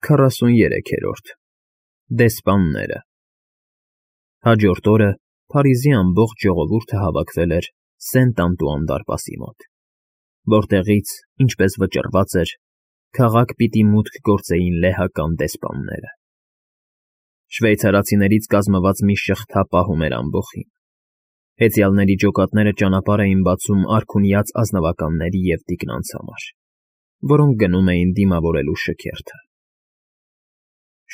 43-րդ Դեսպանները Հաջորդ օրը Փարիզի ամբողջ ժողովուրդը հավաքվել էր Սենտ-Անտուան դարպասի մոտ, որտեղից, ինչպես վճռված էր, քաղաք պիտի մուտք գործեին լեհական դեսպանները։ Շվեյցարացիներից կազմված մի շղթա պահում էր ամբոխին։ Հեծյալների ջոկատները ճանապարհ էին բացում արքունյաց ազնվականների և տիկնանց համար, որոնք գնում էին դիմավորելու շքերթը։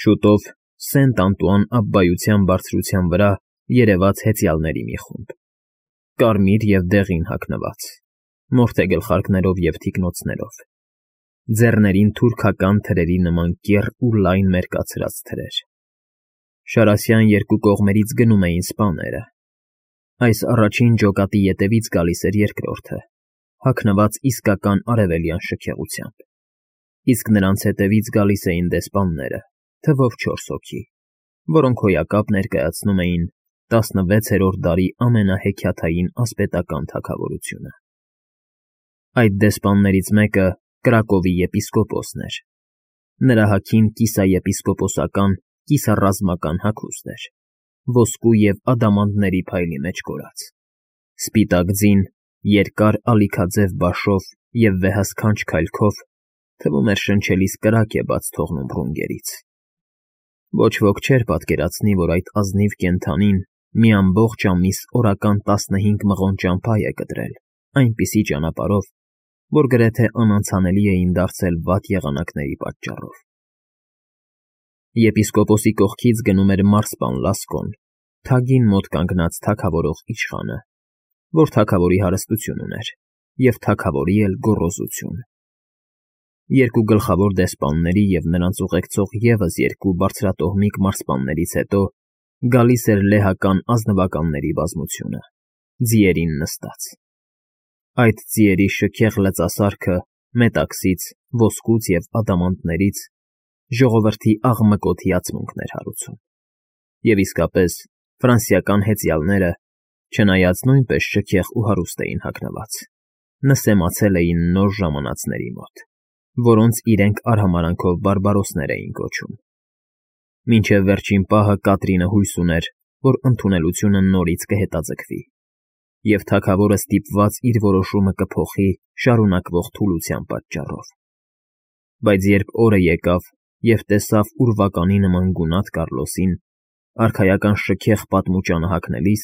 Շուտով Սենտ-Անտուան աբբայության բարձրության վրա երևաց հեծյալների մի խումբ, կարմիր և դեղին հագնված, մորթե գլխարկներով և թիկնոցներով, ձեռներին թուրքական թրերի նման կեռ ու լայն մերկացրած թրեր։ Շարասյան երկու կողմերից գնում էին սպաները։ Այս առաջին ջոկատի ետևից գալիս էր երկրորդը, հագնված իսկական արևելյան շքեղությամբ, իսկ նրանց հետևից գալիս էին դեսպանները, թվով 4 հոգի, որոնք հոյակապ ներկայացնում էին 16-րդ դարի ամենահեքիաթային ասպետական թագավորությունը։ Այդ դեսպաններից մեկը Կրակովի եպիսկոպոսն էր։ Նրա հագին կիսաեպիսկոպոսական, կիսառազմական հագուստ էր, ոսկու և ադամանդների փայլի մեջ կորած, սպիտակ ձին, երկար ալիքաձև բաշով և վեհասքանչ քայլքով, թվում էր շնչելիս կրակ է բաց թողնում ռունգերից։ Ոչ ոք չէր պատկերացնի, որ այդ ազնիվ կենդանին մի ամբողջ ամիս օրական 15 մղոն ճամփա է կտրել այնպիսի ճանապարհով, որ գրեթե անանցանելի էին դարձել վատ եղանակների պատճառով։ Եպիսկոպոսի կողքից գնում էր մարսպան Լասկոն, թագին մոտ կանգնած թագավորող իշխանը, որ թագավորի հարստություն ուներ, և թագավորի էլ գոռոզություն։ Երկու գլխավոր դեսպանների և նրանց ուղեկցող ևս երկու բարձրատոհմիկ մարսպաններից հետո գալիս էր լեհական ազնվականների բազմությունը, ձիերին նստած։ Այդ ձիերի շքեղ լծասարքը մետաքսից, ոսկուց և ադամանդներից ժողովրդի աղմկոտ հիացմունքն էր հարուցում։ Եվ իսկապես, ֆրանսիական հեծյալները, չնայած նույնպես շքեղ ու հարուստ էին հագնված, նսեմացել էին նոր ժամանածների մոտ, որոնց իրենք արհամարհանքով բարբարոսներ էին կոչում։ Մինչև վերջին պահը Կատրինը հույս ուներ, որ ընդունելությունը նորից կհետաձգվի, և թագավորը ստիպված իր որոշումը կփոխի շարունակվող թուլության պատճառով։ Բայց երբ օրը եկավ և տեսավ ուրվականի նման գունատ Կառլոսին, արքայական շքեղ պատմուճանը հագնելիս,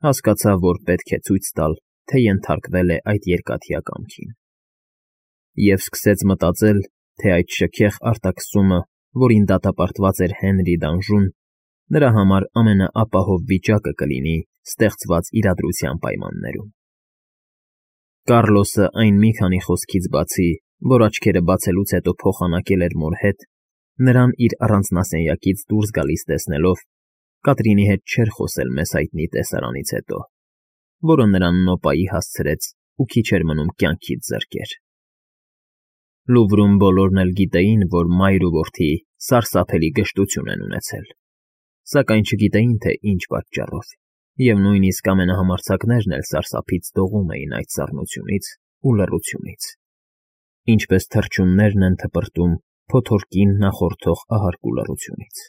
հասկացավ, որ պետք է ցույց տալ, թե ենթարկվել է այդ երկաթյա կամքին։ Եվ սկսեց մտածել, թե այդ շքեղ արտաքսումը, որին դատապարտված էր Հենրի Դանժուն, նրա համար ամենաապահով վիճակը կլինի ստեղծված իրադրության պայմաններում։ Կառլոսը այն մի քանի խոսքից բացի, որ աչքերը բացելուց հետո փոխանակել էր մոր հետ, նրան իր առանձնասենյակից դուրս գալիս տեսնելով, Կատրինի հետ չէր խոսել մեզ հայտնի տեսարանից հետո, որը նրան նոպայի հասցրեց ու քիչ էր մնում կյանքից զրկեր։ Լուվրում բոլորն էլ գիտեին, որ մայր ու որդի սարսափելի գժտություն են ունեցել, սակայն չգիտեին, թե ինչ պատճառով, և նույնիսկ ամենահամարձակներն էլ սարսափից դողում էին այդ սառնությունից ու լռությունից, ինչպես թռչուններն են թպրտում փոթորկին նախորդող ահարկ ու լռությունից։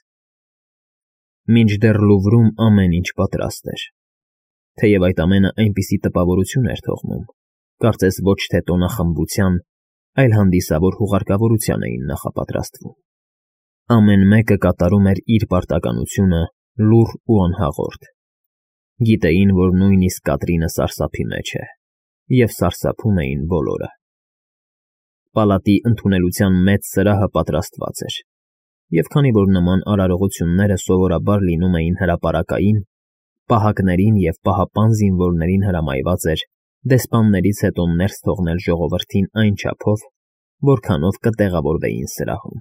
Մինչդեռ Լուվրում ամեն ինչ պատրաստ էր, թեև այդ ամենը այնպիսի տպավորություն էր թողնում, կարծես ոչ թե տոնախմբության, այլ հանդիսավոր հուղարկավորության էին նախապատրաստվում։ Ամեն մեկը կատարում էր իր պարտականությունը լուռ ու անհաղորդ։ Գիտեին, որ նույնիսկ Կատրինը սարսափի մեջ է, և սարսափում էին բոլորը։ Պալատի ընդունելության մեծ սրահը պատրաստված էր, և քանի որ նման արարողությունները սովորաբար լինում էին հրապարակային, պահակներին և պահապան զինվորներին հրամայված էր դեսպաններից հետո ներս թողնել ժողովրդին այն չափով, որքանով կտեղավորվեին սրահում։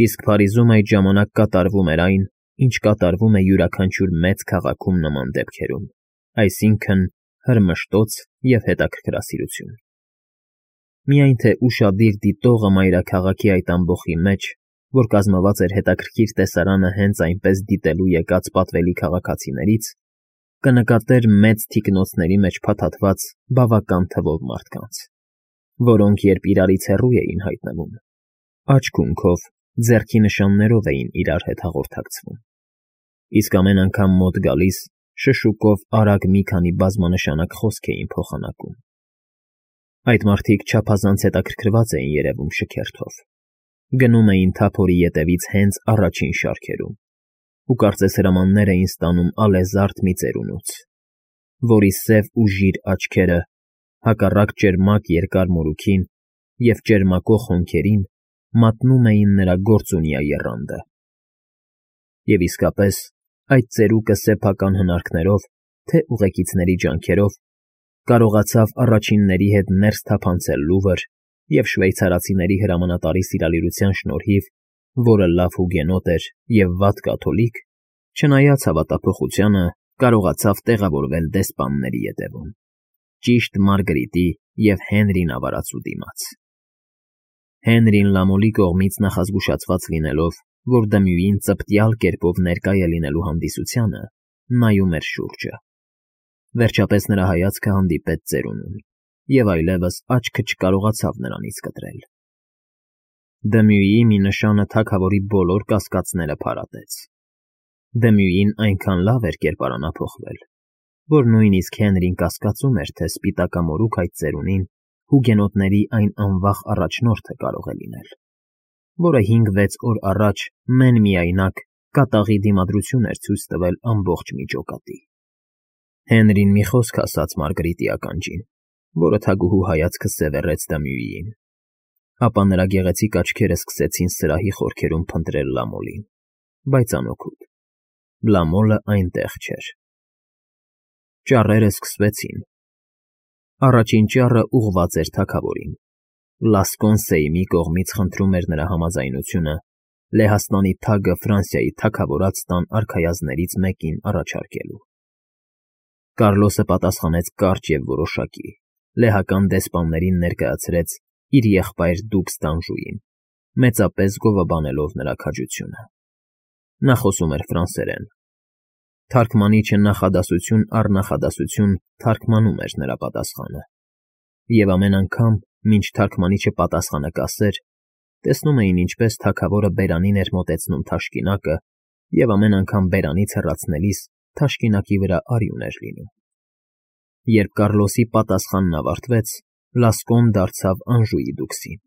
Իսկ Փարիզում այդ ժամանակ կատարվում էր այն, ինչ կատարվում է յուրաքանչյուր մեծ քաղաքում նման դեպքերում, այսինքն՝ հրմշտոց և հետաքրքրասիրություն։ Միայն թե ուշադիր դիտողը մայրաքաղաքի այդ ամբոխի մեջ, որ կազմված էր հետաքրքիր տեսարանը հենց այնպես դիտելու եկած պատվելի քաղաքացիներից, կնկատեր մեծ թիկնոցների մեջ փաթաթված բավական թվով մարդկանց, որոնք երբ իրարից հեռու էին հայտնվում, աչք-ունքով, ձեռքի նշաններով էին իրար հետ հաղորդակցվում, իսկ ամեն անգամ մոտ գալիս շշուկով արագ մի քանի բազմանշանակ խոսք էին փոխանակում։ Այդ մարդիկ չափազանց հետաքրքրված էին երևում շքերթով, գնում էին թափորի ետևից հենց առաջին շարքերում ու կարծես հրամաններ էին ստանում ալեզարդ մի ծերունուց, որի սև ու ժիր աչքերը, հակառակ ճերմակ երկար մորուքին և ճերմակող հոնքերին, մատնում էին նրա գործունյա եռանդը։ Եվ իսկապես, այդ ծերուկը սեփական հնարքներով, թե ուղեկիցների ջանքերով, կարողացավ առաջինների հետ ներս թափանցել Լուվր և շվեյցարացիների հրամանատարի սիրալիրության շնորհիվ, որը լավ հուգենոտ էր և վատ կաթոլիկ, չնայած հավատափոխությանը, կարողացավ տեղավորվել դեսպանների ետևում, ճիշտ Մարգրիտի և Հենրի նավարածու դիմաց։ Հենրին Լամոլի կողմից նախազգուշացված լինելով, որ Դմյուին ծպտյալ կերպով ներկա է լինելու հանդիսությանը, նայում էր շուրջը։ Վերջապես նրա հայացքը հանդիպեց ծերունուն, և այլևս աչքը չկարողացավ նրանից կտրել։ Դմյուիի մի նշանը թագավորի բոլոր կասկածները փարատեց։ Դմյուին այնքան լավ էր կերպարանափոխվել, որ նույնիսկ Հենրին կասկածում էր, թե սպիտակամորուք այդ ծերունին հուգենոտների այն անվախ առաջնորդը կարող է լինել, որը 5-6 օր առաջ մեն֊միայնակ կատաղի դիմադրություն էր ցույց տվել ամբողջ միջոկատի։ Հենրին մի խոսք ասաց Մարգրիտի ականջին, որը թագուհու հայացքը սևեռեց Դմյուիին, ապա նրա գեղեցիկ աչքերը սկսեցին սրահի խորքերում փնտրել Լամոլին, բայց անօգուտ։ Լամոլը այնտեղ չէր։ Ճառերը սկսվեցին։ Առաջին ճառը ուղղված էր թագավորին։ Լասկոն Սեյմի կողմից խնդրում էր նրա համաձայնությունը Լեհաստանի թագը Ֆրանսիայի թագավորած տան արքայազններից մեկին առաջարկելու։ Կարլոսը պատասխանեց կարճ և որոշակի, լեհական դեսպաններին ներկայացրեց իր եղբայր դուքս Դանժուին, մեծապես գովաբանելով նրա քաջությունը։ Նա խոսում էր ֆրանսերեն։ Թարգմանիչը նախադասություն առ նախադասություն թարգմանում էր նրա պատասխանը, և ամեն անգամ, մինչ թարգմանիչը պատասխանը կասեր, տեսնում էին, ինչպես թագավորը բերանին էր մոտեցնում թաշկինակը, և ամեն անգամ բերանից հեռացնելիս թաշկինակի վրա արյուն էր լինում։ Երբ Կարլոսի պատասխանն ավարտվեց, Լասկոն դարձավ Անժուի դուքսին,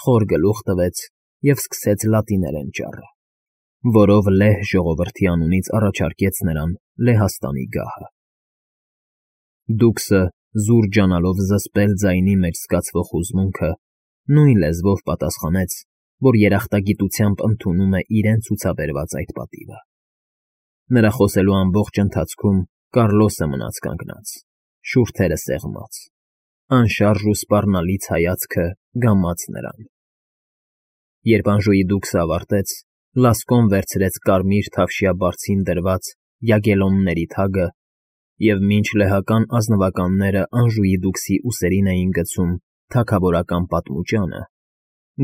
խոր գլուխ տվեց և սկսեց լատիներեն ճառը, որով լեհ ժողովրդի անունից առաջարկեց նրան Լեհաստանի գահը։ Դուքսը, զուր ջանալով զսպել ձայնի մեջ զգացվող հուզմունքը, նույն լեզվով պատասխանեց, որ երախտագիտությամբ ընդունում է իրեն ցուցաբերված այդ պատիվը։ Նրա խոսելու ամբողջ ընթացքում Կարլոսը մնաց կանգնած, շուրթերը սեղմած, անշարժ ու սպառնալից հայացքը գամած նրան։ Երբ Անժուի դուքսը ավարտեց, Լասկոն վերցրեց կարմիր թավշյա բարձին դրված յագելոնների թագը և մինչ լեհական ազնվականները Անժուի դուքսի ուսերին էին գցում թագավորական պատմուճանը,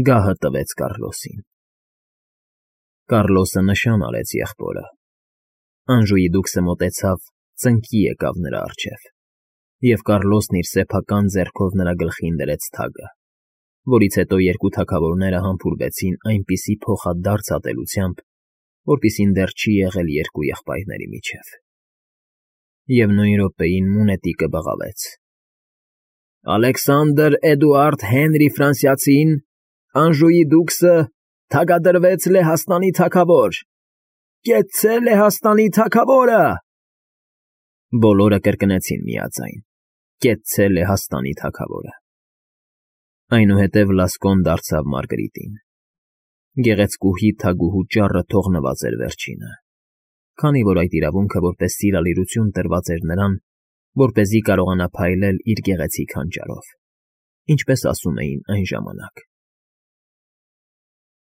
գահը տվեց Կարլոսին։ Կարլոսը նշան արեց եղբորը։ Անժուի դուքսը մոտեցավ, ծնկի եկավ նրա առջև, և Կարլոսն իր սեփական ձեռքով նրա գլխին դրեց թագը, որից հետո երկու թագավորները համբուրվեցին այնպիսի փոխադարձ ատելությամբ, որպիսին դեռ չի եղել երկու եղբայրների միջև։ Եվ նույն րոպեին մունետիկը բղավեց. Ալեքսանդր Էդուարդ Հենրի Ֆրանսիացին, Անժուի դուքսը, թագադրվեց Լեհաստանի թագավոր։ Կեցցե Լեհաստանի թագավորը։ Բոլորը կրկնեցին միաձայն. Կեցցե Լեհաստանի թագավորը։ Այնուհետև Լասկոն դարձավ Մարգրիտին։ Գեղեցկուհի թագուհու ճառը թողնված էր վերջինը, քանի որ այդ իրավունքը որպես սիրալիրություն տրված էր նրան, որպեսզի կարողանա փայլել իր գեղեցիկ հանճարով, ինչպես ասում էին այն ժամանակ։